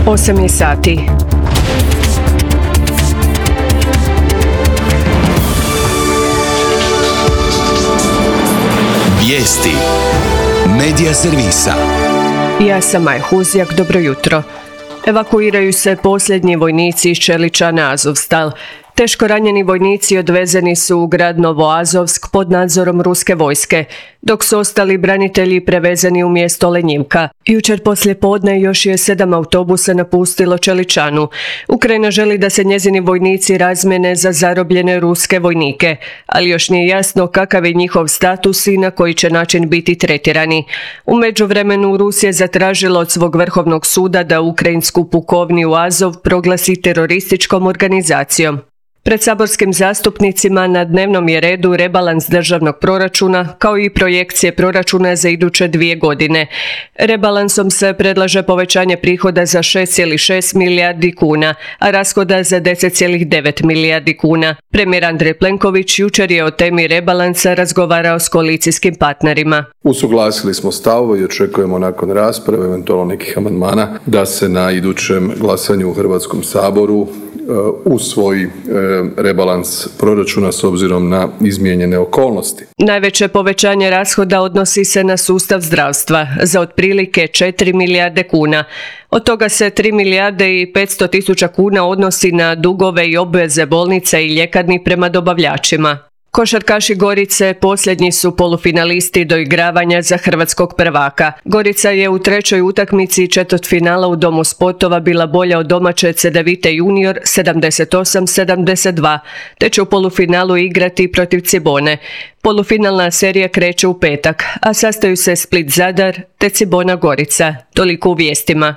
8 je sati. Vijesti Medija servisa. Ja sam Maja Huzjak, dobro jutro. Evakuiraju se posljednji vojnici iz Čelića na Azovstal. Teško ranjeni vojnici odvezeni su u grad Novoazovsk pod nadzorom ruske vojske, dok su ostali branitelji prevezeni u mjesto Lenjivka. Jučer poslijepodne još je 7 autobusa napustilo Čeličanu. Ukrajina želi da se njezini vojnici razmjene za zarobljene ruske vojnike, ali još nije jasno kakav je njihov status i na koji će način biti tretirani. U međuvremenu Rusija je zatražila od svog vrhovnog suda da ukrajinsku pukovniju Azov proglasi terorističkom organizacijom. Pred saborskim zastupnicima na dnevnom je redu rebalans državnog proračuna, kao i projekcije proračuna za iduće 2 godine. Rebalansom se predlaže povećanje prihoda za 6,6 milijardi kuna, a rashoda za 10,9 milijardi kuna. Premijer Andrej Plenković jučer je o temi rebalansa razgovarao s koalicijskim partnerima. Usuglasili smo stavove i očekujemo nakon rasprave, eventualno nekih amandmana, da se na idućem glasanju u Hrvatskom saboru usvoji rebalans proračuna s obzirom na izmijenjene okolnosti. Najveće povećanje rashoda odnosi se na sustav zdravstva za otprilike 4 milijarde kuna. Od toga se 3 milijarde i 500 tisuća kuna odnosi na dugove i obveze bolnica i ljekarni prema dobavljačima. Košarkaši Gorice posljednji su polufinalisti doigravanja za hrvatskog prvaka. Gorica je u 3. utakmici četvrtfinala u Domu sportova bila bolja od domaće Cedevite junior 78-72, te će u polufinalu igrati protiv Cibone. Polufinalna serija kreće u petak, a sastaju se Split Zadar te Cibona Gorica. Toliko u vijestima.